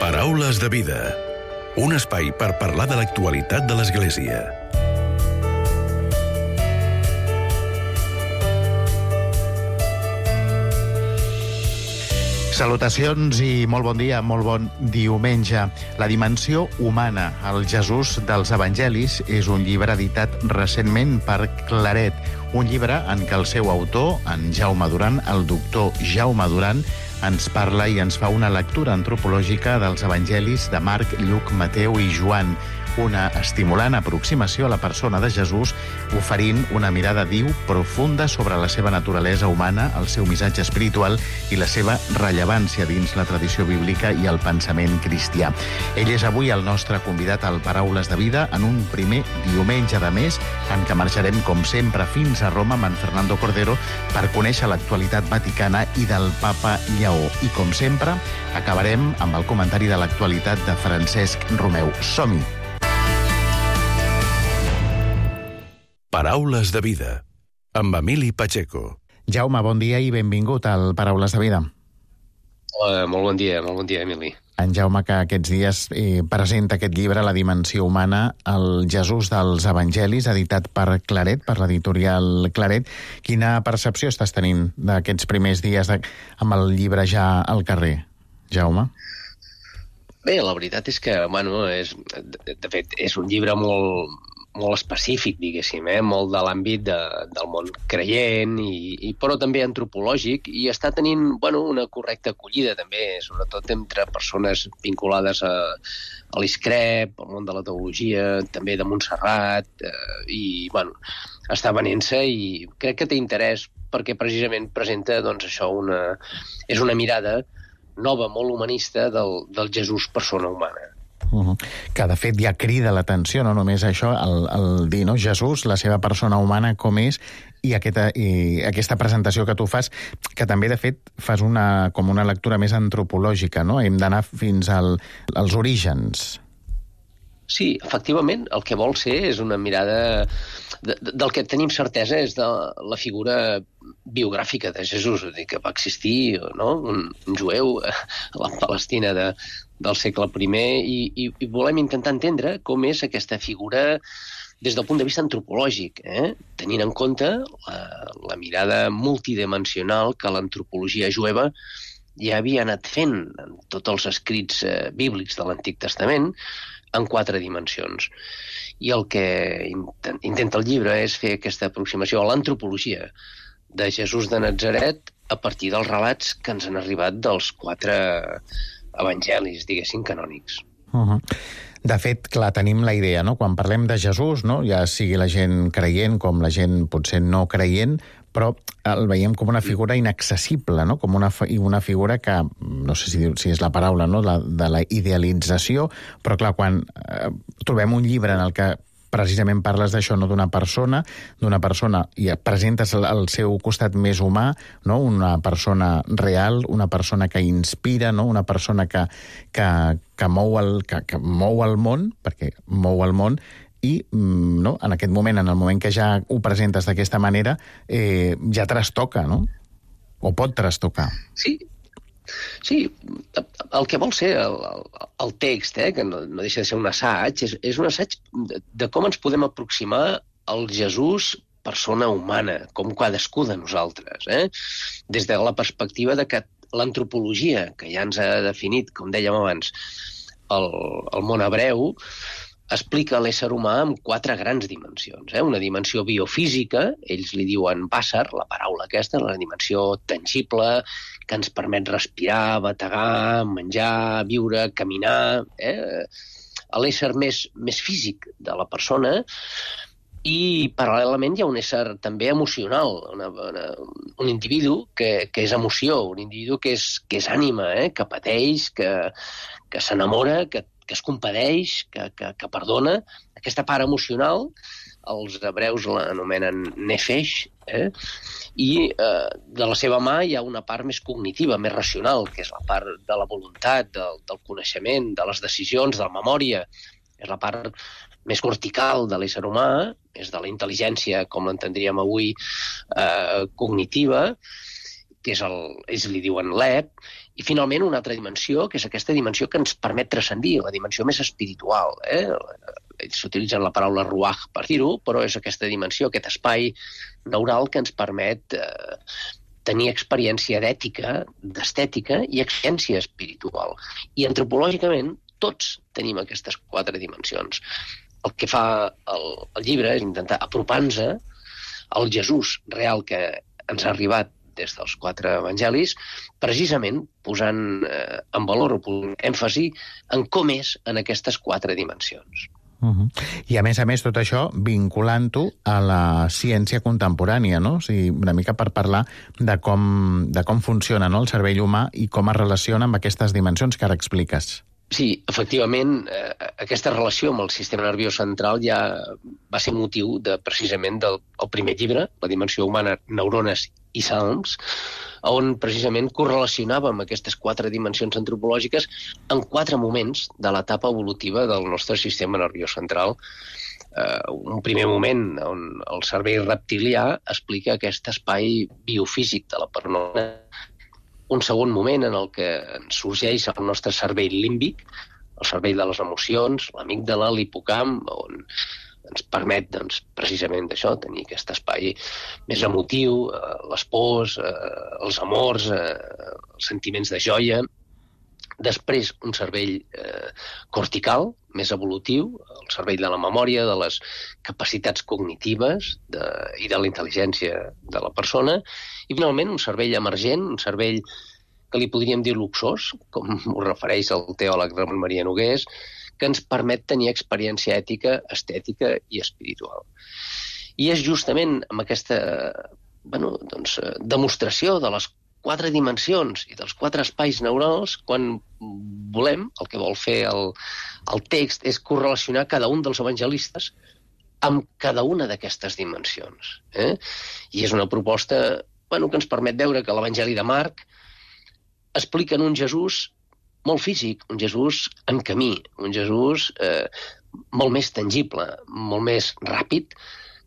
Paraules de vida. Un espai per parlar de l'actualitat de l'Església. Salutacions i molt bon dia, molt bon diumenge. La dimensió humana, el Jesús dels Evangelis, és un llibre editat recentment per Claret. Un llibre en què el seu autor, en Jaume Duran, el doctor Jaume Duran, ens parla i ens fa una lectura antropològica dels Evangelis de Marc, Lluc, Mateu i Joan. Una estimulant aproximació a la persona de Jesús, oferint una mirada diu profunda sobre la seva naturalesa humana, el seu missatge espiritual i la seva rellevància dins la tradició bíblica i el pensament cristià. Ell és avui el nostre convidat al Paraules de Vida en un primer diumenge de mes en què marxarem, com sempre, fins a Roma amb en Fernando Cordero per conèixer l'actualitat vaticana i del papa Lleó. I, com sempre, acabarem amb el comentari de l'actualitat de Francesc Romeu. Som-hi! Paraules de vida, amb Emili Pacheco. Jaume, bon dia i benvingut al Paraules de Vida. Molt bon dia, Emili. En Jaume, que aquests dies presenta aquest llibre, La dimensió humana, el Jesús dels Evangelis, editat per Claret, per l'editorial Claret. Quina percepció estàs tenint d'aquests primers dies amb el llibre ja al carrer, Jaume? Bé, la veritat és que, de fet, és un llibre molt específic, diguéssim, molt de l'àmbit del món creient, però també antropològic, i està tenint una correcta acollida també, sobretot entre persones vinculades a l'ISCREP, al món de la teologia, també de Montserrat, està venent-se i crec que té interès perquè precisament presenta és una mirada nova, molt humanista del Jesús persona humana. Que de fet ja crida l'atenció, no només això, el dir, no? Jesús, la seva persona humana com és, i aquesta presentació que tu fas, que també de fet fas com una lectura més antropològica, no? Hem d'anar fins als orígens. Sí, efectivament, el que vol ser és una mirada del que tenim certesa és de la figura biogràfica de Jesús, que va existir, no? Un jueu a la Palestina del segle I, i volem intentar entendre com és aquesta figura des del punt de vista antropològic, tenint en compte la mirada multidimensional que l'antropologia jueva ja havia anat fent en tots els escrits bíblics de l'Antic Testament en 4 dimensions. I el que intenta el llibre és fer aquesta aproximació a l'antropologia de Jesús de Natzaret a partir dels relats que ens han arribat dels 4 evangelis, diguéssim, canònics. De fet, clar, tenim la idea, no? Quan parlem de Jesús, no? Ja sigui la gent creient com la gent potser no creient, però el veiem com una figura inaccessible, no? Com una figura que, no sé si és la paraula, no? De la idealització, però clar, quan trobem un llibre en el que precisament parles d'això, no? D'una persona i presentes el seu costat més humà, no? Una persona real, una persona que inspira, no? Una persona que mou el món, perquè mou el món, i no? En aquest moment, en el moment que ja ho presentes d'aquesta manera, ja trastoca, no? O pot trastocar. Sí, el que vol ser el text, que no deixa de ser un assaig, és un assaig de com ens podem aproximar al Jesús persona humana, com cadascú de nosaltres, des de la perspectiva de que l'antropologia, que ja ens ha definit, com dèiem abans, el món hebreu, explica l'ésser humà amb 4 grans dimensions. Una dimensió biofísica, ells li diuen bàsar, la paraula aquesta, la dimensió tangible, que ens permet respirar, bategar, menjar, viure, caminar, l'ésser més físic de la persona, i paral·lelament hi ha un ésser també emocional, un individu que és emoció, un individu que és ànima, que pateix, que s'enamora, que es compadeix, que perdona. Aquesta part emocional, els hebreus l'anomenen nefesh, i de la seva mà hi ha una part més cognitiva, més racional, que és la part de la voluntat, del coneixement, de les decisions, de la memòria. És la part més cortical de l'ésser humà, és de la intel·ligència, com l'entendríem avui, cognitiva, que ells li diuen l'Eb, i finalment una altra dimensió, que és aquesta dimensió que ens permet transcendir, la dimensió més espiritual. Ells utilitzen la paraula ruach per dir-ho, però és aquesta dimensió, aquest espai neural que ens permet tenir experiència d'ètica, d'estètica i experiència espiritual. I antropològicament tots tenim aquestes 4 dimensions. El que fa el llibre és intentar apropar-nos al Jesús real que ens ha arribat des dels 4 evangelis, precisament posant en valor o posant èmfasi en com és en aquestes 4 dimensions. I a més, tot això vinculant-ho a la ciència contemporània, no? O sigui, una mica per parlar de com funciona, no?, el cervell humà i com es relaciona amb aquestes dimensions que ara expliques. Sí, efectivament, aquesta relació amb el sistema nerviós central ja va ser motiu precisament del primer llibre, La dimensió humana, neurones i salms, on precisament correlacionàvem aquestes 4 dimensions antropològiques en 4 moments de l'etapa evolutiva del nostre sistema nerviós central. Un primer moment on el cervell reptilià explica aquest espai biofísic de la persona, un segon moment en el que ens sorgeix el nostre cervell límbic, el cervell de les emocions, l'amígdala, l'hipocamp, on ens permet precisament d'això, tenir aquest espai més emotiu, les pors, els amors, els sentiments de joia. Després, un cervell cortical, més evolutiu, el cervell de la memòria, de les capacitats cognitives i de la intel·ligència de la persona. I, finalment, un cervell emergent, un cervell que li podríem dir luxós, com ho refereix el teòleg Ramon Maria Nogués, que ens permet tenir experiència ètica, estètica i espiritual. I és justament amb aquesta demostració de les 4 dimensions i dels 4 espais neurals quan volem, el que vol fer el text és correlacionar cada un dels evangelistes amb cada una d'aquestes dimensions. I és una proposta que ens permet veure que l'Evangeli de Marc explica un Jesús molt físic, un Jesús en camí, un Jesús molt més tangible, molt més ràpid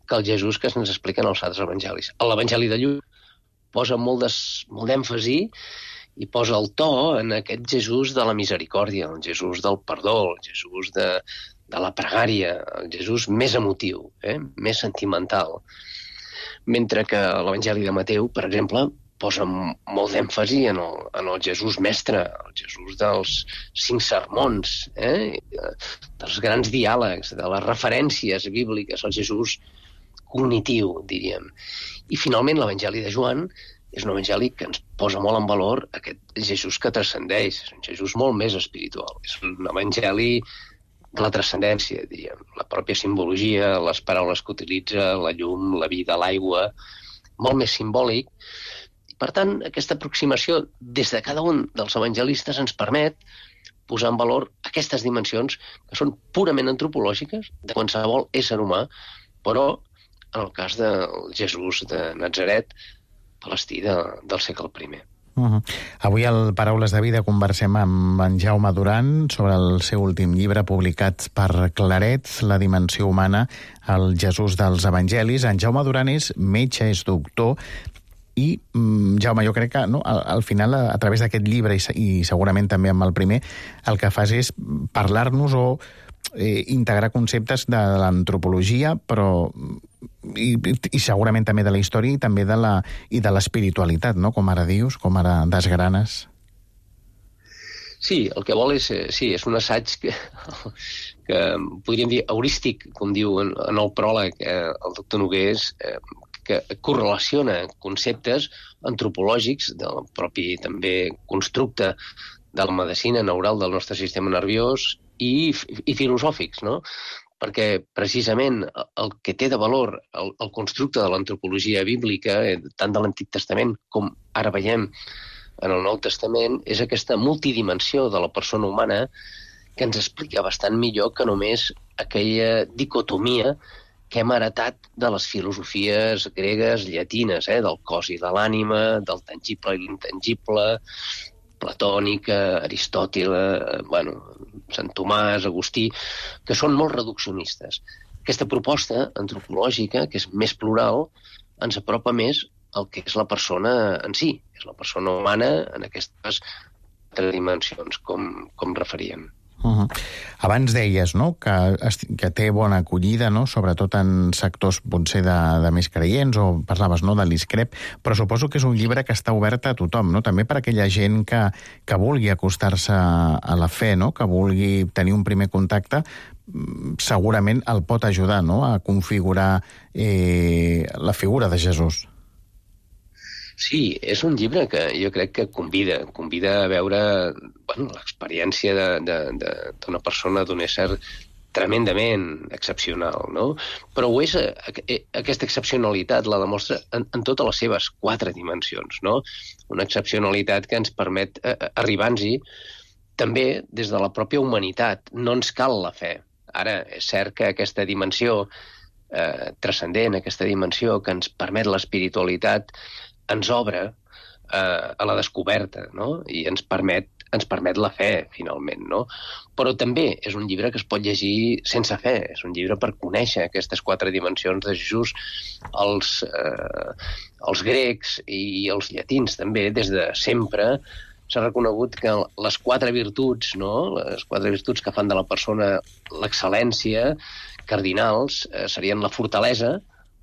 que el Jesús que ens expliquen els altres evangelis. L'Evangeli de Lluc posa molt d'èmfasi i posa el to en aquest Jesús de la misericòrdia, el Jesús del perdó, el Jesús de la pregària, el Jesús més emotiu, més sentimental. Mentre que l'Evangeli de Mateu, per exemple, posa molt d'èmfasi en el Jesús mestre, el Jesús dels 5 sermons, dels grans diàlegs, de les referències bíbliques, el Jesús cognitiu, diríem. I finalment l'Evangeli de Joan és un evangeli que ens posa molt en valor aquest Jesús que transcendeix, és un Jesús molt més espiritual, és un evangeli de la transcendència, diríem, la pròpia simbologia, les paraules que utilitza, la llum, la vida, l'aigua, molt més simbòlic. Per tant, aquesta aproximació des de cada un dels evangelistes ens permet posar en valor aquestes dimensions que són purament antropològiques de qualsevol ésser humà, però en el cas del Jesús de Natzaret, palestí del segle I. Avui al Paraules de Vida conversem amb en Jaume Duran sobre el seu últim llibre publicat per Claret, La dimensió humana, el Jesús dels Evangelis. En Jaume Duran és metge, és doctor, i, Jaume, jo crec que al final, a través d'aquest llibre i segurament també amb el primer, el que fas és parlar-nos o integrar conceptes de l'antropologia, però i segurament també de la història i també de l'espiritualitat, no? Com ara dius, com ara desgranes. Sí, el que vol és un assaig que podríem dir heurístic, com diu en el pròleg el doctor Nogués, que correlaciona conceptes antropològics del propi també constructe de la medicina neural del nostre sistema nerviós i filosòfics, no? Perquè precisament el que té de valor el constructe de l'antropologia bíblica, tant de l'Antic Testament com ara veiem en el Nou Testament, és aquesta multidimensió de la persona humana que ens explica bastant millor que només aquella dicotomia que hem heretat de les filosofies gregues, llatines, del cos i de l'ànima, del tangible i l'intangible, platònica, Aristòtil, Sant Tomàs, Agustí, que són molt reduccionistes. Aquesta proposta antropològica, que és més plural, ens apropa més el que és la persona en si, és la persona humana en aquestes 3 dimensions, com referíem. Abans deies, no?, que té bona acollida, no?, sobretot en sectors potser de més creients, o parlaves, no?, de l'ISCREP, però suposo que és un llibre que està obert a tothom, no?, també per aquella gent que vulgui acostar-se a la fe, no?, que vulgui tenir un primer contacte, segurament el pot ajudar, no?, a configurar la figura de Jesús. Sí, és un llibre que jo crec que convida a veure l'experiència d'una persona, d'un ésser tremendament excepcional, no? Però ho és, aquesta excepcionalitat la demostra en totes les seves 4 dimensions, no? Una excepcionalitat que ens permet arribar-nos-hi també des de la pròpia humanitat. No ens cal la fe. Ara, és cert que aquesta dimensió transcendent, aquesta dimensió que ens permet l'espiritualitat, ens obre a la descoberta, no? I ens permet la fe, finalment, no? Però també és un llibre que es pot llegir sense fe, és un llibre per conèixer aquestes 4 dimensions de Jesús. Els grecs i els llatins també, des de sempre, s'ha reconegut que les 4 virtuts, no?, les 4 virtuts que fan de la persona l'excel·lència, cardinals, serien la fortalesa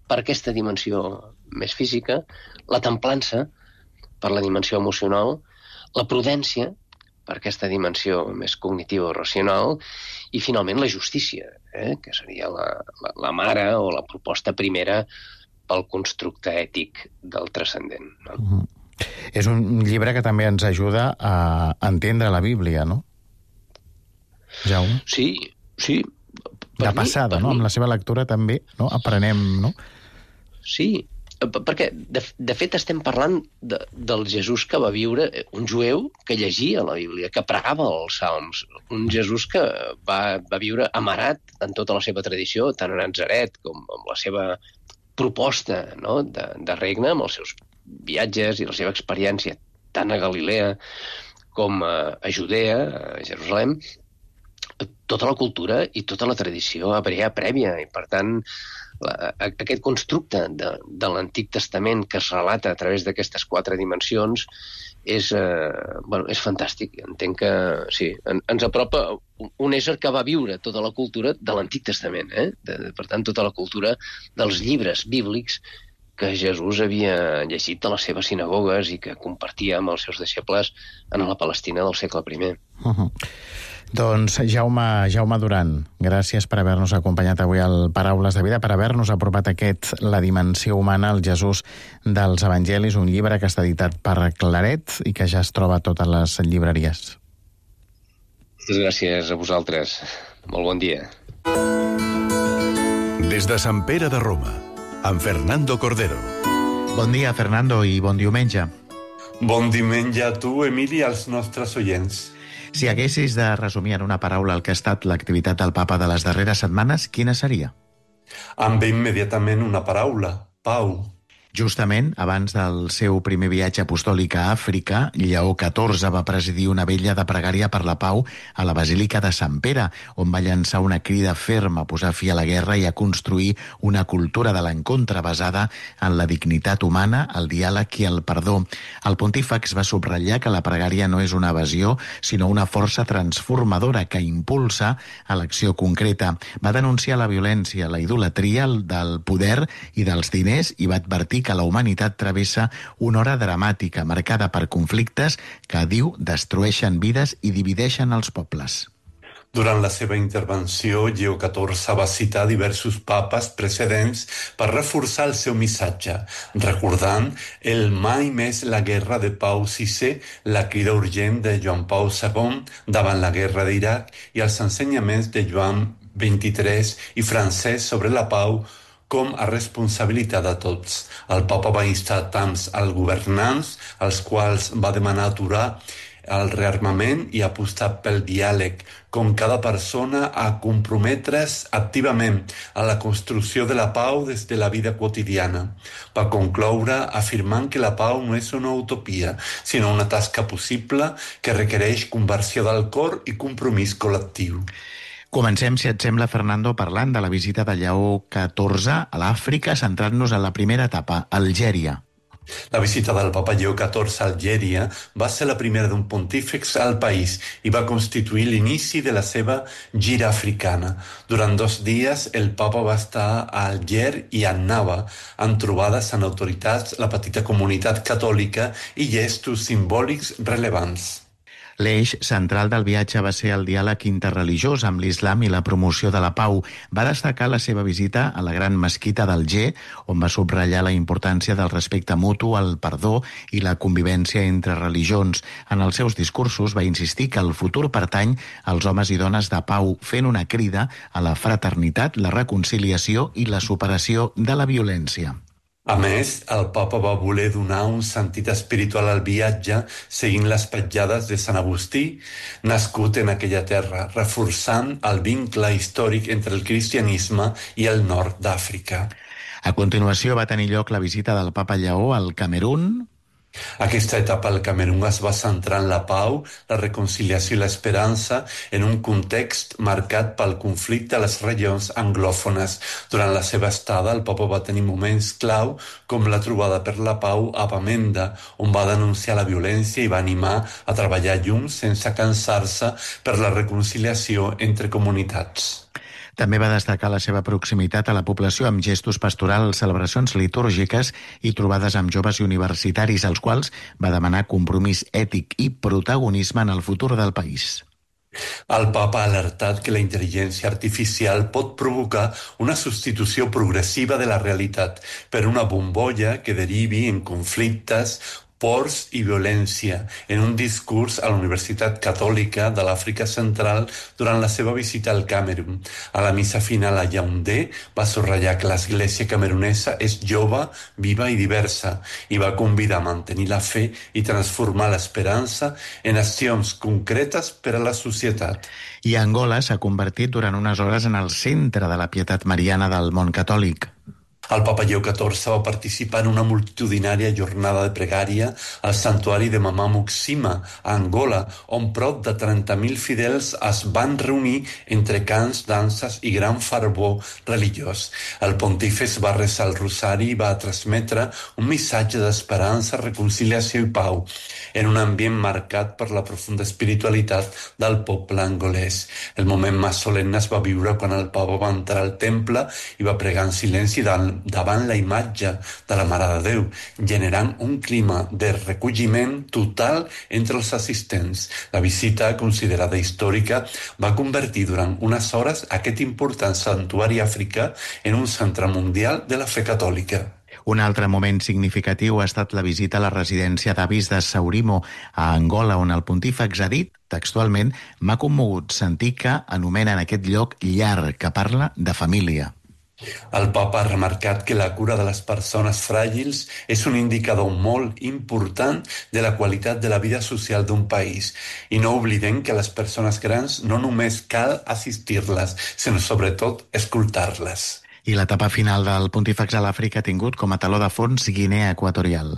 per aquesta dimensió més física, la templança per la dimensió emocional, la prudència per aquesta dimensió més cognitiva o racional, i finalment la justícia, que seria la mare o la proposta primera pel constructe ètic del transcendent, no? És un llibre que també ens ajuda a entendre la Bíblia, no? Jaume? Sí. De passada, no? Amb la seva lectura també, no?, aprenem, no? Sí, perquè, de fet, estem parlant del Jesús que va viure, un jueu que llegia la Bíblia, que pregava els salms, un Jesús que va viure amarat en tota la seva tradició, tant a Natzaret com amb la seva proposta, no?, de regne, amb els seus viatges i la seva experiència tant a Galilea com a Judea, a Jerusalem, tota la cultura i tota la tradició hebrea prèvia, i per tant aquest constructe de l'Antic Testament que es relata a través d'aquestes 4 dimensions és fantàstic. Entenc que sí, ens apropa un ésser que va viure tota la cultura de l'Antic Testament, per tant, tota la cultura dels llibres bíblics que Jesús havia llegit a les seves sinagogues i que compartia amb els seus deixebles en la Palestina del segle I. Doncs Jaume Duran, gràcies per haver-nos acompanyat avui al Paraules de Vida, per haver-nos apropat La dimensió humana, el Jesús dels Evangelis, un llibre que està editat per Claret i que ja es troba a totes les llibreries. Gràcies a vosaltres. Molt bon dia. Des de Sant Pere de Roma, amb Fernando Cordero. Bon dia, Fernando, i bon diumenge. Bon diumenge a tu, Emili, i als nostres oients. Si haguessis de resumir en una paraula el que ha estat l'activitat del papa de les darreres setmanes, quina seria? Em ve immediatament una paraula: pau. Justament, abans del seu primer viatge apostòlic a Àfrica, Lleó XIV va presidir una vetlla de pregària per la pau a la Basílica de Sant Pere, on va llançar una crida ferma a posar fi a la guerra i a construir una cultura de l'encontre basada en la dignitat humana, el diàleg i el perdó. El pontífex va subratllar que la pregària no és una evasió, sinó una força transformadora que impulsa a l'acció concreta. Va denunciar la violència, la idolatria del poder i dels diners i va advertir que la humanitat travessa una hora dramàtica marcada per conflictes que, diu, destrueixen vides i divideixen els pobles. Durant la seva intervenció, Lleó XIV va citar diversos papes precedents per reforçar el seu missatge, recordant el mai més la guerra de Pau VI, la crida urgent de Joan Pau II davant la guerra d'Iraq i els ensenyaments de Joan XXIII i Francesc sobre la pau com a responsabilitat de tots. El papa va instar tant als governants, als quals va demanar aturar el rearmament i apostar pel diàleg, com cada persona a comprometre's activament a la construcció de la pau des de la vida quotidiana. Va concloure afirmant que la pau no és una utopia, sinó una tasca possible que requereix conversió del cor i compromís col·lectiu. Comencem, si et sembla, Fernando, parlant de la visita de Lleó XIV a l'Àfrica, centrant-nos en la primera etapa, Algèria. La visita del papa Lleó XIV a Algèria va ser la primera d'un pontífex al país i va constituir l'inici de la seva gira africana. Durant 2 dies, el papa va estar a Alger i a Annaba, amb trobades amb autoritats, la petita comunitat catòlica i gestos simbòlics rellevants. L'eix central del viatge va ser el diàleg interreligiós amb l'islam i la promoció de la pau. Va destacar la seva visita a la gran mesquita d'Alger, on va subratllar la importància del respecte mutu, el perdó i la convivència entre religions. En els seus discursos va insistir que el futur pertany als homes i dones de pau, fent una crida a la fraternitat, la reconciliació i la superació de la violència. A més, el papa va voler donar un sentit espiritual al viatge seguint les petjades de Sant Agustí, nascut en aquella terra, reforçant el vincle històric entre el cristianisme i el nord d'Àfrica. A continuació va tenir lloc la visita del papa Lleó al Camerun. Aquesta etapa al Camerun es va centrar en la pau, la reconciliació i l'esperança en un context marcat pel conflicte a les regions anglòfones. Durant la seva estada, el papa va tenir moments clau com la trobada per la pau a Bamenda, on va denunciar la violència i va animar a treballar junts sense cansar-se per la reconciliació entre comunitats. També va destacar la seva proximitat a la població amb gestos pastorals, celebracions litúrgiques i trobades amb joves i universitaris, als quals va demanar compromís ètic i protagonisme en el futur del país. El papa ha alertat que la intel·ligència artificial pot provocar una substitució progressiva de la realitat per una bombolla que derivi en conflictes, pors i violència, en un discurs a la Universitat Catòlica de l'Àfrica Central durant la seva visita al Camerun. A la missa final a Yaoundé va subratllar que l'església camerunesa és jove, viva i diversa i va convidar a mantenir la fe i transformar l'esperança en accions concretes per a la societat. I Angola s'ha convertit durant unes hores en el centre de la pietat mariana del món catòlic. El papa Lleó XIV va participar en una multitudinària jornada de pregària al santuari de Mama Muxima, a Angola, on prop de 30.000 fidels es van reunir entre cants, danses i gran fervor religiós. El pontífex va resar el rosari i va transmetre un missatge d'esperança, reconciliació i pau, en un ambient marcat per la profunda espiritualitat del poble angolès. El moment més solemne es va viure quan el papa va entrar al temple i va pregar en silenci davant la imatge de la Mare de Déu, generant un clima de recolliment total entre els assistents. La visita, considerada històrica, va convertir durant unes hores aquest important santuari africà en un centre mundial de la fe catòlica. Un altre moment significatiu ha estat la visita a la residència d'avis de Saurimo, a Angola, on el pontífex ha dit, textualment, m'ha commogut sentir que anomenen aquest lloc llar, que parla de família. El papa ha remarcat que la cura de les persones fràgils és un indicador molt important de la qualitat de la vida social d'un país. I no oblidem que a les persones grans no només cal assistir-les, sinó sobretot escoltar-les. I l'etapa final del pontífex a l'Àfrica ha tingut com a taló de fons Guinea Equatorial.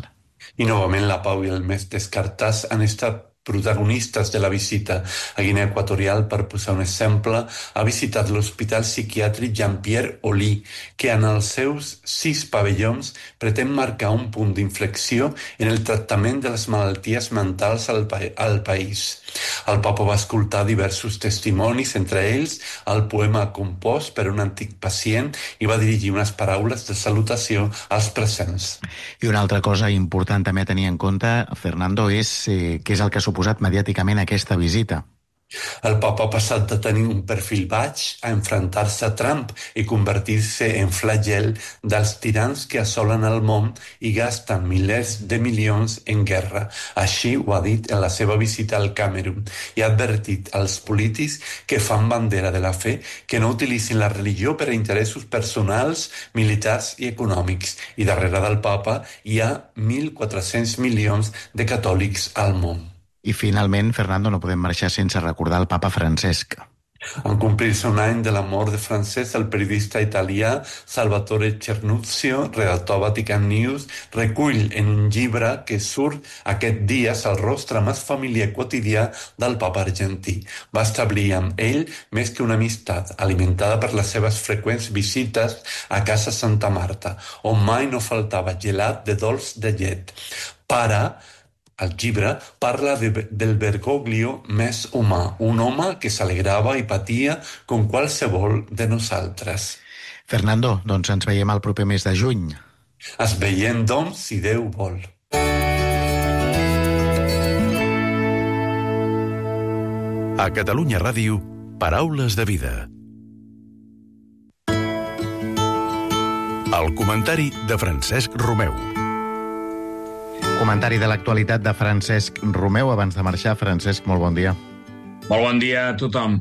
I novament la pau i el més descartats han estat protagonistes de la visita. A Guinea Equatorial, per posar un exemple, ha visitat l'Hospital Psiquiàtric Jean-Pierre Oli, que en els seus 6 pavellons pretén marcar un punt d'inflexió en el tractament de les malalties mentals al país. El papa va escoltar diversos testimonis, entre ells el poema compost per un antic pacient, i va dirigir unes paraules de salutació als presents. I una altra cosa important també a tenir en compte, Fernando, és què és el que ha suposat mediàticament aquesta visita. El papa ha passat de tenir un perfil baix a enfrontar-se a Trump i convertir-se en flagel dels tirans que assolen el món i gasten milers de milions en guerra. Així ho ha dit en la seva visita al Camerun i ha advertit als polítics que fan bandera de la fe que no utilitzin la religió per a interessos personals, militars i econòmics. I darrere del papa hi ha 1.400 milions de catòlics al món. I finalment, Fernando, no podem marxar sense recordar el papa Francesc. En complir-se un any de la mort de Francesc, el periodista italià Salvatore Cernuzio, redactor a Vatican News, recull en un llibre que surt aquest dies el rostre més familiar quotidià del papa argentí. Va establir amb ell més que una amistat, alimentada per les seves freqüents visites a casa Santa Marta, on mai no faltava gelat de dolç de llet. El llibre parla del Bergoglio més humà, un home que s'alegrava i patia com qualsevol de nosaltres. Fernando, doncs ens veiem el proper mes de juny. Es veiem, doncs, si Déu vol. A Catalunya Ràdio, Paraules de Vida. El comentari de Francesc Romeu. Comentari de l'actualitat de Francesc Romeu. Abans de marxar, Francesc, molt bon dia. Molt bon dia a tothom.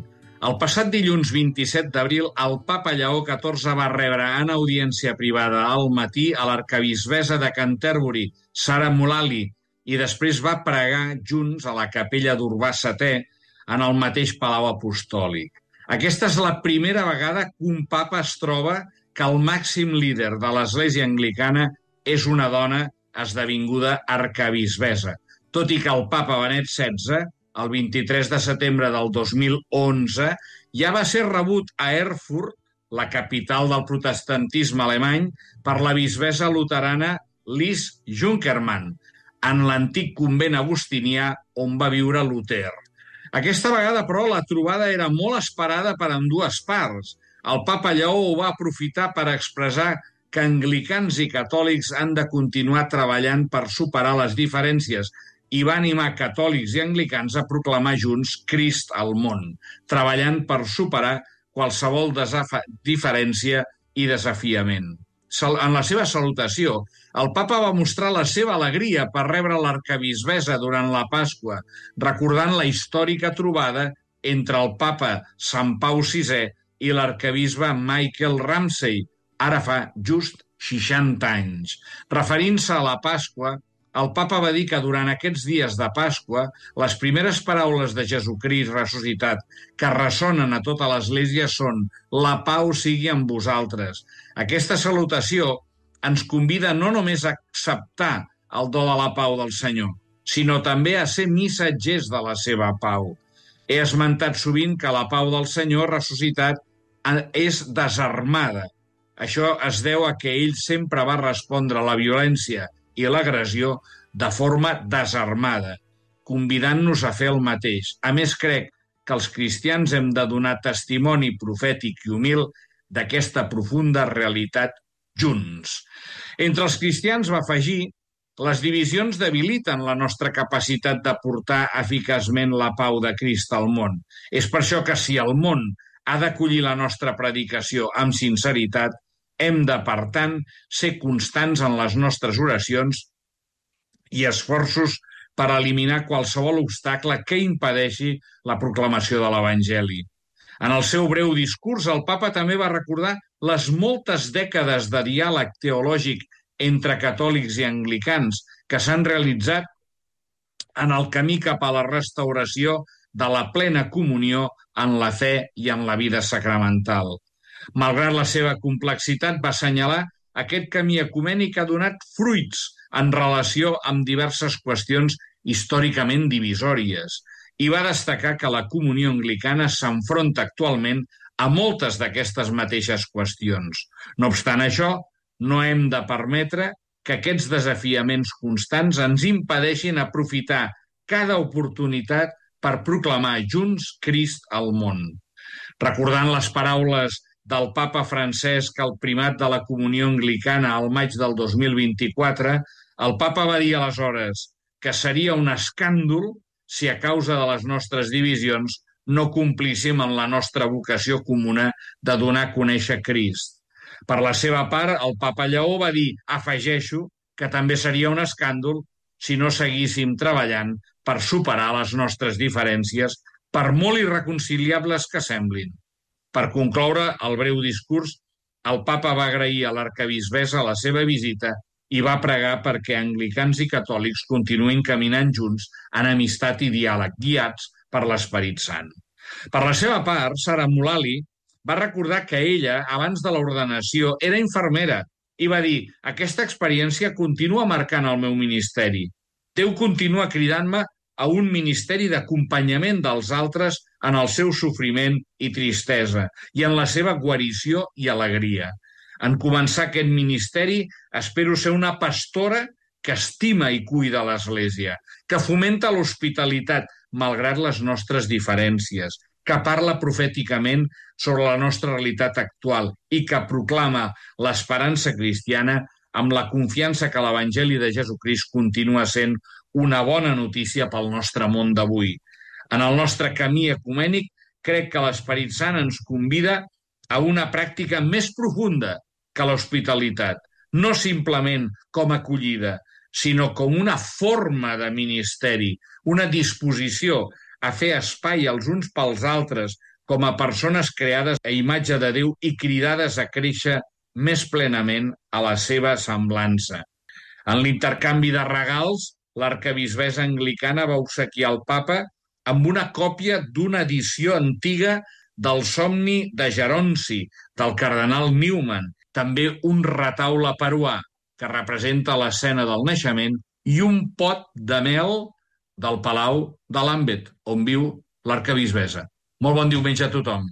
El passat dilluns 27 d'abril, el papa Lleó XIV va rebre en audiència privada al matí a l'arquebisbessa de Canterbury, Sarah Mullally, i després va pregar junts a la capella d'Urbà VII en el mateix Palau Apostòlic. Aquesta és la primera vegada que un papa es troba que el màxim líder de l'Església Anglicana és una dona esdevinguda arquebisbessa, tot i que el papa Benet XVI, el 23 de setembre del 2011, ja va ser rebut a Erfurt, la capital del protestantisme alemany, per la bisbessa luterana Lis Junkermann, en l'antic convent agustinià on va viure Luter. Aquesta vegada, però, la trobada era molt esperada per ambdues parts. El papa Lleó ho va aprofitar per expressar que anglicans i catòlics han de continuar treballant per superar les diferències i va animar catòlics i anglicans a proclamar junts Crist al món, treballant per superar qualsevol diferència i desafiament. En la seva salutació, el papa va mostrar la seva alegria per rebre l'arquebisbessa durant la Pasqua, recordant la històrica trobada entre el papa Sant Pau VI i l'arquebisbe Michael Ramsey, ara fa just 60 anys. Referint-se a la Pasqua, el papa va dir que durant aquests dies de Pasqua les primeres paraules de Jesucrist ressuscitat que ressonen a tota l'Església són «La pau sigui amb vosaltres». Aquesta salutació ens convida no només a acceptar el do de la pau del Senyor, sinó també a ser missatgers de la seva pau. He esmentat sovint que la pau del Senyor ressuscitat és desarmada. Això es deu a que ell sempre va respondre a la violència i l'agressió de forma desarmada, convidant-nos a fer el mateix. A més, crec que els cristians hem de donar testimoni profètic i humil d'aquesta profunda realitat junts. Entre els cristians, va afegir, les divisions debiliten la nostra capacitat de portar eficaçment la pau de Crist al món. És per això que si el món ha d'acollir la nostra predicació amb sinceritat, hem de, per tant, ser constants en les nostres oracions i esforços per eliminar qualsevol obstacle que impedeixi la proclamació de l'Evangeli. En el seu breu discurs, el papa també va recordar les moltes dècades de diàleg teològic entre catòlics i anglicans que s'han realitzat en el camí cap a la restauració de la plena comunió en la fe i en la vida sacramental. Malgrat la seva complexitat, va assenyalar aquest camí ecumènic ha donat fruits en relació amb diverses qüestions històricament divisòries i va destacar que la comunió anglicana s'enfronta actualment a moltes d'aquestes mateixes qüestions. No obstant això, no hem de permetre que aquests desafiaments constants ens impedeixin aprofitar cada oportunitat per proclamar junts Crist al món. Recordant les paraules del papa Francesc al primat de la comunió anglicana al maig del 2024, el papa va dir aleshores que seria un escàndol si a causa de les nostres divisions no complíssim en la nostra vocació comuna de donar a conèixer Crist. Per la seva part, el papa Lleó va dir, afegeixo, que també seria un escàndol si no seguíssim treballant per superar les nostres diferències, per molt irreconciliables que semblin. Per concloure el breu discurs, el papa va agrair a l'arquebisbessa la seva visita i va pregar perquè anglicans i catòlics continuïn caminant junts en amistat i diàleg, guiats per l'Esperit Sant. Per la seva part, Sara Mullally va recordar que ella, abans de l'ordenació, era infermera i va dir: aquesta experiència continua marcant el meu ministeri. Déu continua cridant-me a un ministeri d'acompanyament dels altres en el seu sofriment i tristesa i en la seva guarició i alegria. En començar aquest ministeri, espero ser una pastora que estima i cuida l'Església, que fomenta l'hospitalitat malgrat les nostres diferències, que parla profèticament sobre la nostra realitat actual i que proclama l'esperança cristiana amb la confiança que l'Evangeli de Jesucrist continua sent una bona notícia pel nostre món d'avui. En el nostre camí ecumènic, crec que l'Esperit Sant ens convida a una pràctica més profunda que l'hospitalitat, no simplement com acollida, sinó com una forma de ministeri, una disposició a fer espai els uns pels altres com a persones creades a imatge de Déu i cridades a créixer més plenament a la seva semblança. En l'intercanvi de regals, l'arquebisbessa anglicana va obsequiar el papa amb una còpia d'una edició antiga del Somni de Geronci, del cardenal Newman, també un retaule peruà que representa l'escena del naixement i un pot de mel del Palau de Lambeth, on viu l'arquebisbessa. Molt bon diumenge a tothom.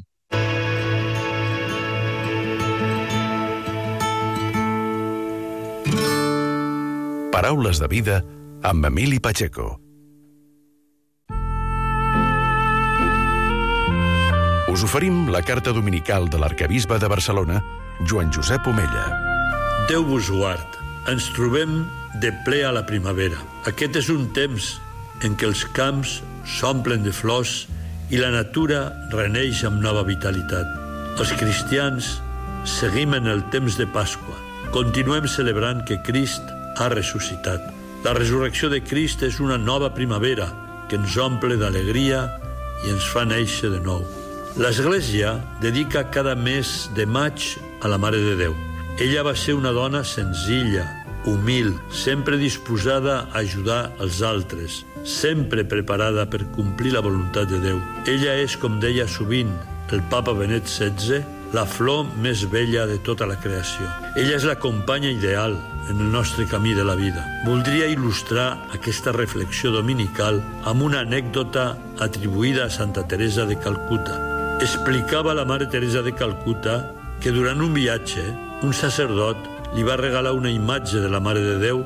Paraules de vida amb Emili Pacheco. Us oferim la carta dominical de l'arquebisbe de Barcelona, Joan Josep Omella. Déu vos guard. Ens trobem de ple a la primavera. Aquest és un temps en què els camps s'omplen de flors i la natura reneix amb nova vitalitat. Els cristians seguim en el temps de Pasqua. Continuem celebrant que Crist ha ressuscitat. La resurrecció de Crist és una nova primavera que ens omple d'alegria i ens fa néixer de nou. L'Església dedica cada mes de maig a la Mare de Déu. Ella va ser una dona senzilla, humil, sempre disposada a ajudar els altres, sempre preparada per complir la voluntat de Déu. Ella és, com deia sovint el papa Benet XVI, la flor més bella de tota la creació. Ella és la companya ideal en el nostre camí de la vida. Voldria il·lustrar aquesta reflexió dominical amb una anècdota atribuïda a Santa Teresa de Calcuta. Explicava la Mare Teresa de Calcuta que durant un viatge un sacerdot li va regalar una imatge de la Mare de Déu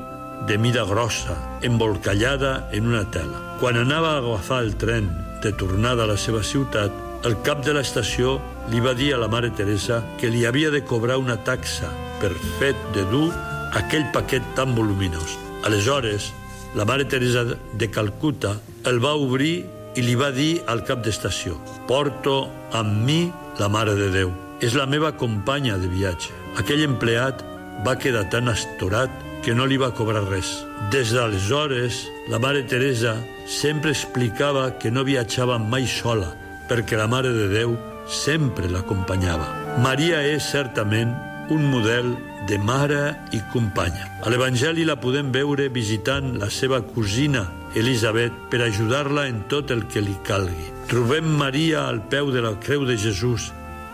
de mida grossa, embolcallada en una tela. Quan anava a agafar el tren de tornada a la seva ciutat, el cap de l'estació li va dir a la Mare Teresa que li havia de cobrar una taxa per fet de dur aquell paquet tan voluminós. Aleshores, la Mare Teresa de Calcuta el va obrir i li va dir al cap d'estació: «Porto amb mi la Mare de Déu. És la meva companya de viatge». Aquell empleat va quedar tan astorat que no li va cobrar res. Des d'aleshores, la Mare Teresa sempre explicava que no viatjava mai sola, perquè la Mare de Déu sempre l'acompanyava. Maria és certament un model de mare i companya. A l'Evangeli la podem veure visitant la seva cosina Elisabet per ajudar-la en tot el que li calgui. Trobem Maria al peu de la creu de Jesús,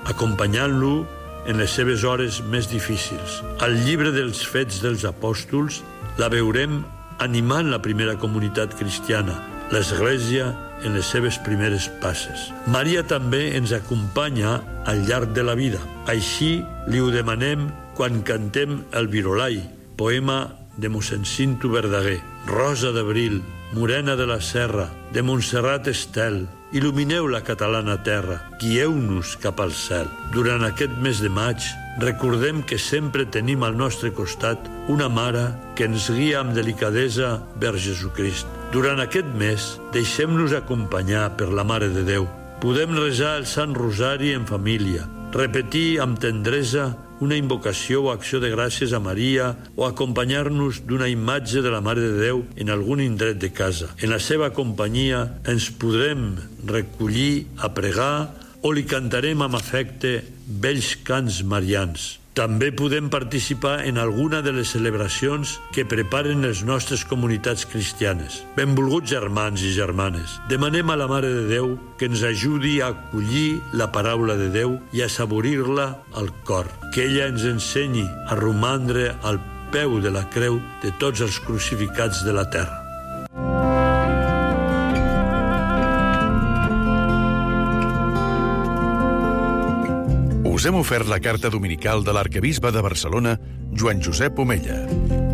acompanyant-lo en les seves hores més difícils. Al llibre dels Fets dels Apòstols la veurem animant la primera comunitat cristiana, l'Església, en les seves primeres passes. Maria també ens acompanya al llarg de la vida. Així li ho demanem quan cantem el Virolai, poema de mossèn Cinto Verdaguer. Rosa d'abril, morena de la serra, de Montserrat Estel, il·lumineu la catalana terra, guieu-nos cap al cel. Durant aquest mes de maig, recordem que sempre tenim al nostre costat una mare que ens guia amb delicadesa vers Jesucrist. Durant aquest mes, deixem-nos acompanyar per la Mare de Déu. Podem resar el Sant Rosari en família, repetir amb tendresa una invocació o acció de gràcies a Maria o acompanyar-nos d'una imatge de la Mare de Déu en algun indret de casa. En la seva companyia ens podrem recollir a pregar o li cantarem amb afecte vells cants marians. També podem participar en alguna de les celebracions que preparen les nostres comunitats cristianes. Benvolguts germans i germanes, demanem a la Mare de Déu que ens ajudi a acollir la paraula de Déu i a saborir-la al cor. Que ella ens ensenyi a romandre al peu de la creu de tots els crucificats de la terra. Us hem ofert la carta dominical de l'arquebisbe de Barcelona, Joan Josep Omella.